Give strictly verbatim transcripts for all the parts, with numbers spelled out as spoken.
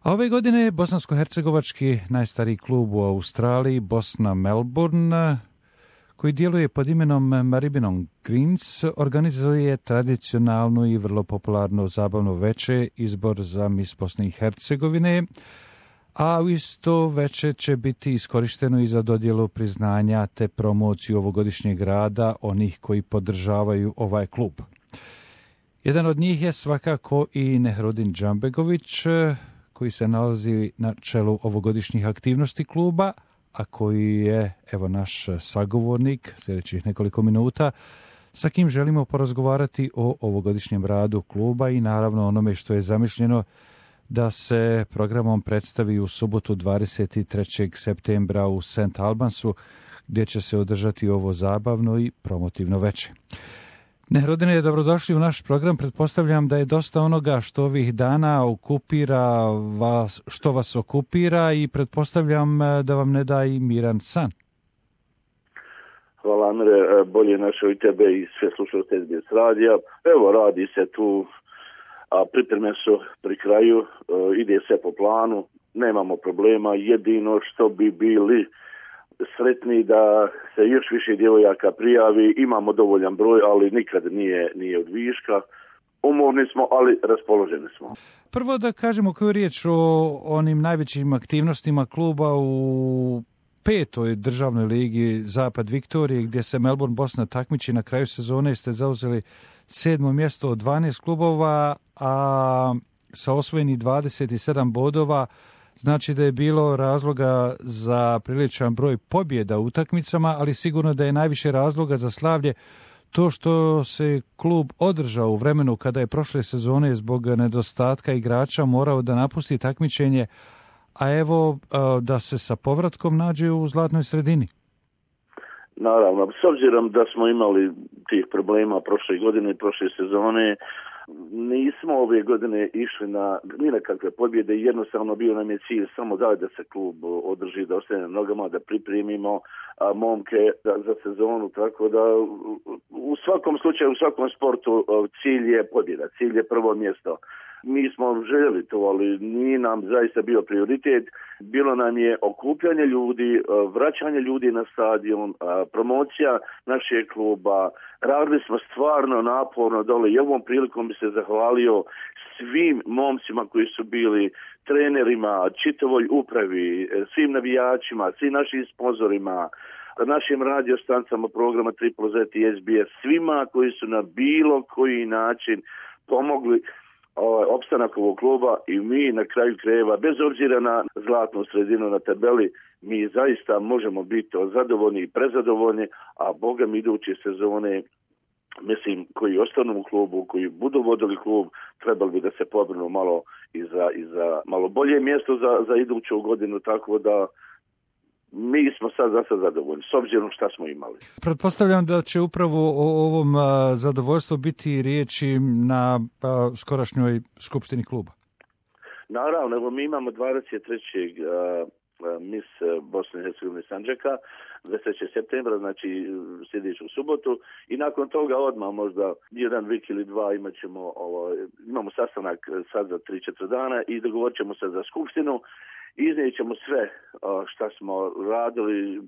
A ove godine bosansko-hercegovački najstariji klub u Australiji, Bosna Melbourne, koji djeluje pod imenom Maribyrnong Greens, organizuje tradicionalnu i vrlo popularno zabavno veče, izbor za Miss Bosne i Hercegovine, a u isto veče će biti iskorišteno i za dodjelu priznanja te promociju ovogodišnjeg rada onih koji podržavaju ovaj klub. Jedan od njih je svakako i Nehrudin Džambegović, koji se nalazi na čelu ovogodišnjih aktivnosti kluba, a koji je, evo, naš sagovornik sljedećih nekoliko minuta, sa kim želimo porazgovarati o ovogodišnjem radu kluba i naravno onome što je zamišljeno da se programom predstavi u subotu dvadeset trećeg septembra u Saint Albansu, gdje će se održati ovo zabavno i promotivno veče. Nehrudine, dobrodošli u naš program. Pretpostavljam da je dosta onoga što ovih dana okupira vas, što vas okupira, i pretpostavljam da vam ne da i miran san. Hvala, Amire, bolje našo i tebe i sve slušalce S B S radija. Evo, radi se tu, a pripreme su pri kraju, ide sve po planu, nemamo problema, jedino što bi bili sretni da se još više djevojaka prijavi, imamo dovoljan broj, ali nikad nije, nije od viška. Umorni smo, ali raspoloženi smo. Prvo da kažemo koju riječ o onim najvećim aktivnostima kluba u petoj državnoj ligi Zapad Viktorije, gdje se Melbourne Bosna takmiči. Na kraju sezone ste zauzeli sedmo mjesto od dvanaest klubova, a sa osvojenih dvadeset sedam bodova, znači da je bilo razloga za priličan broj pobjeda u utakmicama, ali sigurno da je najviše razloga za slavlje to što se klub održao u vremenu kada je prošle sezone zbog nedostatka igrača morao da napusti takmičenje, a evo da se sa povratkom nađe u zlatnoj sredini. Naravno, s obzirom da smo imali tih problema prošle godine i prošle sezone, nismo ove godine išli na ni na kakve pobjede, jednostavno bio nam je cilj samo da, da se klub održi, da ostane na nogama, da pripremimo a, momke za, za sezonu, tako da u svakom slučaju, u svakom sportu cilj je pobjeda, cilj je prvo mjesto. Mi smo željeli to, ali nije nam zaista bio prioritet. Bilo nam je okupljanje ljudi, vraćanje ljudi na stadion, promocija našeg kluba. Radili smo stvarno naporno dole i ovom prilikom bi se zahvalio svim momcima koji su bili, trenerima, čitavoj upravi, svim navijačima, svim našim sponzorima, našim radiostancama programa Triple Z i S B S, svima koji su na bilo koji način pomogli ovaj opstanak ovog kluba, i mi na kraju krajeva, bez obzira na zlatnu sredinu na tabeli, mi zaista možemo biti zadovoljni i prezadovoljni, a Boga mi iduće sezone, mislim, koji ostanu u klubu, koji budu vodili klub, trebali bi da se pobrinu malo i za, i za malo bolje mjesto za, za iduću godinu, tako da mi smo sad za sad zadovoljni, s obzirom šta smo imali. Pretpostavljam da će upravo o ovom a, zadovoljstvu biti riječi na a, skorašnjoj skupštini kluba. Naravno, evo mi imamo dvadeset trećeg Miss Bosne i Hercegovine Sandžaka, dvadeset trećeg septembra, znači sljedeću subotu, i nakon toga odmah možda jedan vik ili dva imat ćemo, ovo, imamo sastanak sad za tri četiri dana i dogovorit ćemo se za skupštinu. Iznijet ćemo sve šta smo radili,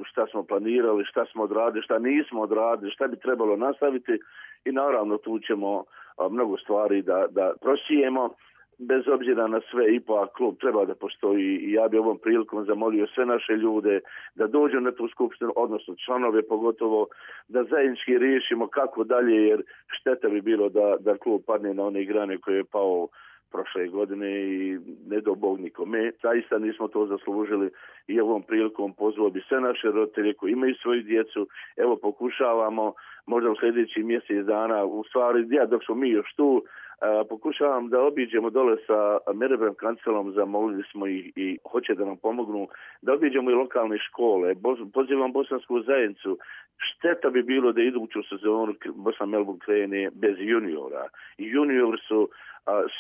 šta smo planirali, šta smo odradili, šta nismo odradili, šta bi trebalo nastaviti, i naravno tu ćemo mnogo stvari da, da prosijemo. Bez obzira na sve, ipak klub treba da postoji, i ja bi ovom prilikom zamolio sve naše ljude da dođu na tu skupštinu, odnosno članove pogotovo, da zajednički riješimo kako dalje, jer šteta bi bilo da, da klub padne na one grane koje je pao prošle godine i ne do Bog nikome. Zaista nismo to zaslužili, i ovom prilikom pozvao bi sve naše roditelje koji imaju svoju djecu. Evo, pokušavamo možda u sljedećih mjesec dana, u stvari ja dok smo mi još tu, a, pokušavam da obiđemo dole sa Merebem kancelom, zamolili smo ih i hoće da nam pomognu, da obiđemo i lokalne škole. Bo, pozivam bosansku zajednicu. Šteta bi bilo da iduću sezonu Bosna Melbourne krene bez juniora. I junior su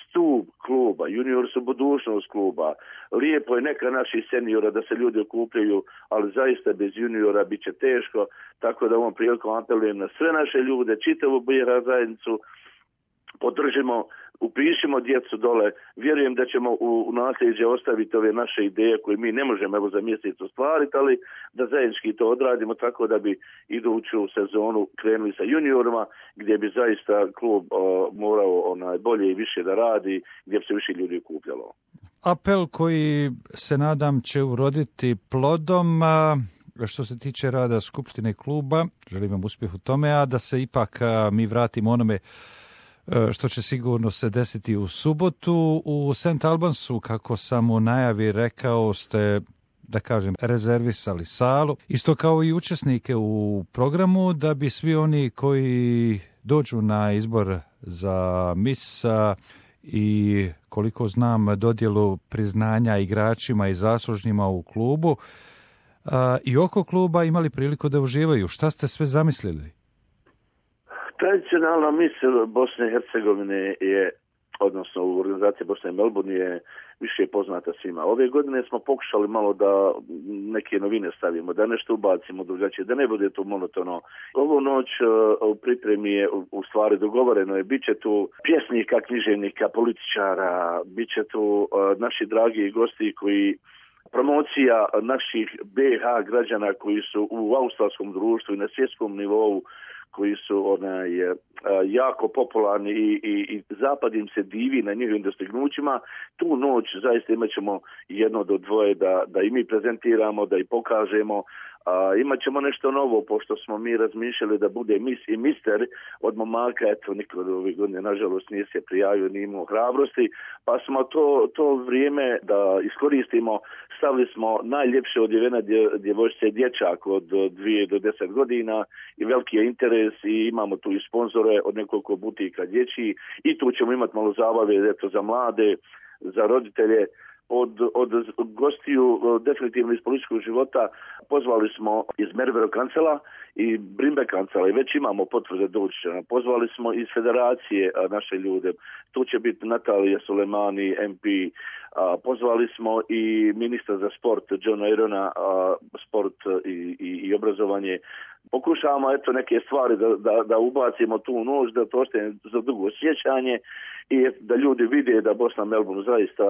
stup kluba, junior su budućnost kluba. Lijepo je neka naših seniora da se ljudi okupljaju, ali zaista bez juniora bit će teško, tako da ovom prilikom apelujem na sve naše ljude, čitavu B iH zajednicu, podržimo upišimo djecu dole, vjerujem da ćemo u, u nasljeđe ostaviti ove naše ideje koje mi ne možemo evo za mjesec ostvariti, ali da zajednički to odradimo tako da bi iduću sezonu krenuli sa juniorima, gdje bi zaista klub o, morao onaj, bolje i više da radi, gdje bi se više ljudi okupljalo. Apel koji se nadam će uroditi plodom. Što se tiče rada Skupštine kluba, želim vam uspjeh u tome, a da se ipak mi vratimo onome što će sigurno se desiti u subotu. U Saint Albansu, kako sam u najavi rekao, ste, da kažem, rezervisali salu, isto kao i učesnike u programu, da bi svi oni koji dođu na izbor za Miss i, koliko znam, dodjelu priznanja igračima i zaslužnjima u klubu a, i oko kluba imali priliku da uživaju. Šta ste sve zamislili? Tradicionalna Miss Bosne i Hercegovine je, odnosno u organizaciji Bosne i Melbourne je više poznata svima. Ove godine smo pokušali malo da neke novine stavimo, da nešto ubacimo drugačije, da ne bude to monotono. Ovu noć u pripremi je u stvari dogovoreno je, bit će tu pjesnika, književnika, političara, bit će tu naši dragi gosti koji promocija naših B H građana koji su u australskom društvu i na svjetskom nivou, koji su onaj, jako popularni i, i, i zapad im se divi na njihovim dostignućima. Tu noć zaista imat ćemo jedno do dvoje da, da i mi prezentiramo, da i pokažemo. A, imat ćemo nešto novo, pošto smo mi razmišljali da bude mis i mister od momaka, eto, niko od ove godine, nažalost, nije se prijavio, nije imao hrabrosti, pa smo to, to vrijeme da iskoristimo, stavili smo najljepše odjevene djevojčice dječak od dvije do deset godina i veliki je interes i imamo tu i sponzore od nekoliko butika dječji i tu ćemo imati malo zabave, eto, za mlade, za roditelje. Od, od gostiju definitivno iz političkog života pozvali smo iz Mervero kancela i Brimbe kancela i već imamo potvrde doći. Pozvali smo iz federacije naše ljude. Tu će biti Natalija Sulemani, M P. Pozvali smo i ministra za sport, Johna Irona, sport i, i, i obrazovanje. Pokušavamo eto neke stvari da, da, da ubacimo tu noć, da to ostane za dugo sjećanje i da ljudi vide da Bosna Melbourne zaista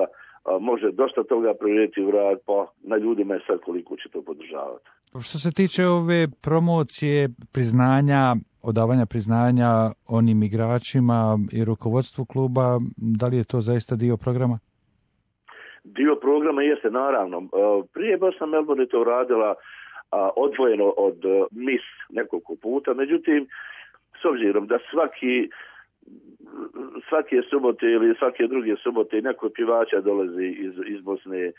a, može dosta toga provjeriti u rad, pa na ljudima je sad koliko će to podržavati. Što se tiče ove promocije, priznanja, odavanja priznanja onim igračima i rukovodstvu kluba, da li je to zaista dio programa? Dio programa jeste, naravno. Prije Bosna Melbourne je to radila odvojeno od Miss nekoliko puta, međutim, s obzirom da svaki svake subote ili svake druge subote neko pjevača dolazi iz, iz Bosne,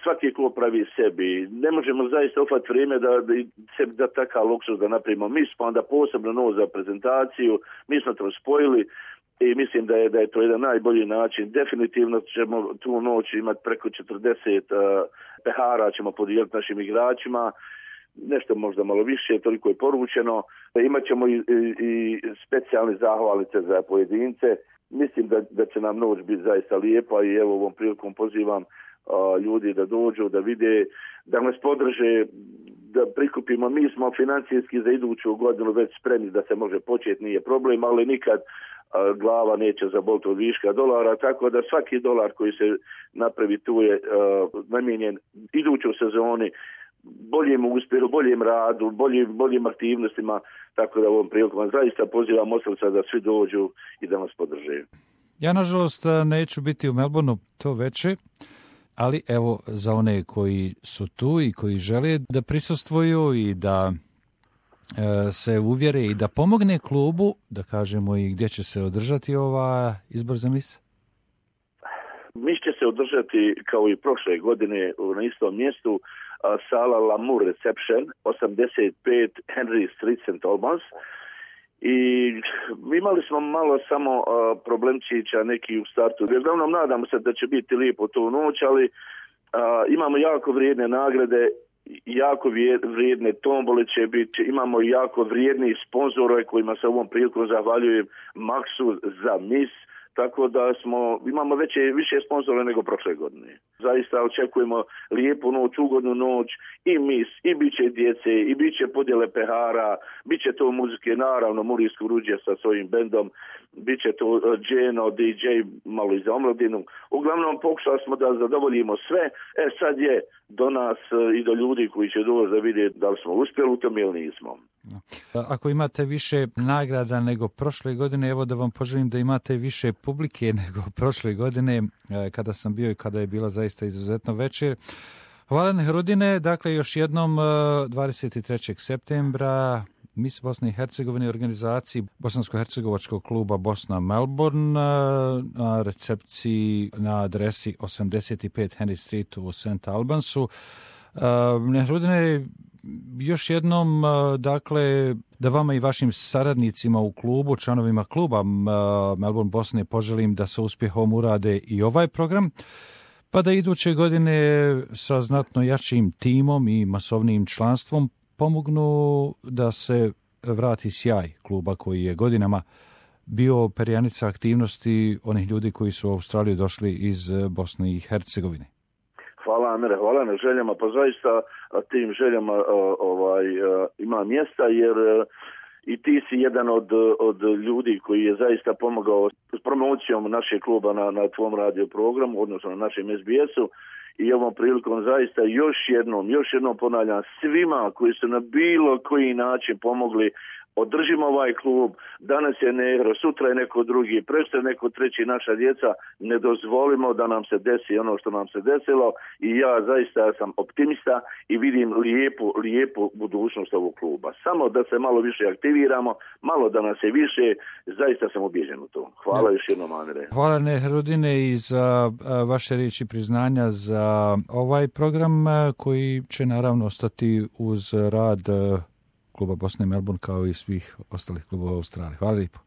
svaki klub pravi sebi, ne možemo zaista ufati vrijeme da, da sebi da takav luksuz da napravimo Miss, pa onda posebno novo za prezentaciju, mi smo to spojili i mislim da je, da je to jedan najbolji način. Definitivno ćemo tu noć imati preko četrdeset uh, pehara, ćemo podijeliti našim igračima, nešto možda malo više, toliko je poručeno. Imat ćemo i, i, i specijalne zahvalice za pojedince. Mislim da, da će nam noć biti zaista lijepa i evo ovom prilikom pozivam a, ljudi da dođu, da vide, da nas podrže, da prikupimo. Mi smo financijski za iduću godinu već spremni da se može početi, nije problem, ali nikad a, glava neće zaboliti od viška dolara, tako da svaki dolar koji se napravi tu je a, namijenjen idućoj sezoni boljem uspjehu, boljem radu, boljim, boljim aktivnostima, tako da ovom prilikom zaista pozivam od srca da svi dođu i da nas podrže. Ja, nažalost, neću biti u Melbourneu to veče, ali evo za one koji su tu i koji žele da prisustvuju i da e, se uvjere i da pomogne klubu, da kažemo i gdje će se održati ova izbor za mis? Mis će se održati kao i prošle godine na istom mjestu, sala Lamour Reception, osamdeset pet Henry Street, Saint Albans. I imali smo malo samo uh, problemčića neki u startu. Uglavnom nadamo se da će biti lijepo tu noć, ali uh, imamo jako vrijedne nagrade, jako vrijedne tombole će biti, imamo jako vrijedni sponzore kojima se ovom prilikom zahvaljujem Maxu za mis, tako da smo, imamo veće, više sponzora nego prošle godine. Zaista očekujemo lijepu noć, ugodnu noć, i mis, i bit će djece, i bit će podjele pehara, bit će to muzike, naravno Murijsko Ruđe sa svojim bendom, bit će to Dženo, D J, malo i za omladinu. Uglavnom pokušali smo da zadovoljimo sve, e sad je do nas i do ljudi koji će doći da vide da li smo uspjeli u tom ili nismo. Ako imate više nagrada nego prošle godine, evo da vam poželim da imate više publike nego prošle godine kada sam bio i kada je bila zaista izuzetno večer. Hvala Nehrudine, dakle još jednom dvadeset trećeg septembra Mis Bosne i Hercegovine organizaciji Bosansko-hercegovačkog kluba Bosna Melbourne na recepciji na adresi osamdeset pet Henry Street u Saint Albansu. Nehrudine, još jednom, dakle, da vama i vašim saradnicima u klubu, članovima kluba Melbourne Bosne, poželim da sa uspjehom urade i ovaj program, pa da iduće godine sa znatno jačim timom i masovnim članstvom pomognu da se vrati sjaj kluba koji je godinama bio perjanica aktivnosti onih ljudi koji su u Australiju došli iz Bosne i Hercegovine. Hvala Amire, hvala na željama, pa zaista tim željama ovaj, ima mjesta, jer i ti si jedan od, od ljudi koji je zaista pomogao s promocijom našeg kluba na, na tvom radio programu, odnosno na našem S B S-u, i ovom prilikom zaista još jednom, još jednom ponavljam svima koji su na bilo koji način pomogli. Održimo ovaj klub, danas je Negro, sutra je neko drugi, presto je neko treći, naša djeca, ne dozvolimo da nam se desi ono što nam se desilo, i ja zaista sam optimista i vidim lijepu, lijepu budućnost ovog kluba. Samo da se malo više aktiviramo, malo da nas je više, zaista sam ubijeđen u to. Hvala još jednom, Amire. Hvala Nehrudine i za vaše riječi priznanja za ovaj program koji će naravno ostati uz rad kluba Bosne i Melbourne kao i svih ostalih klubova u Australiji. Hvala lijepo.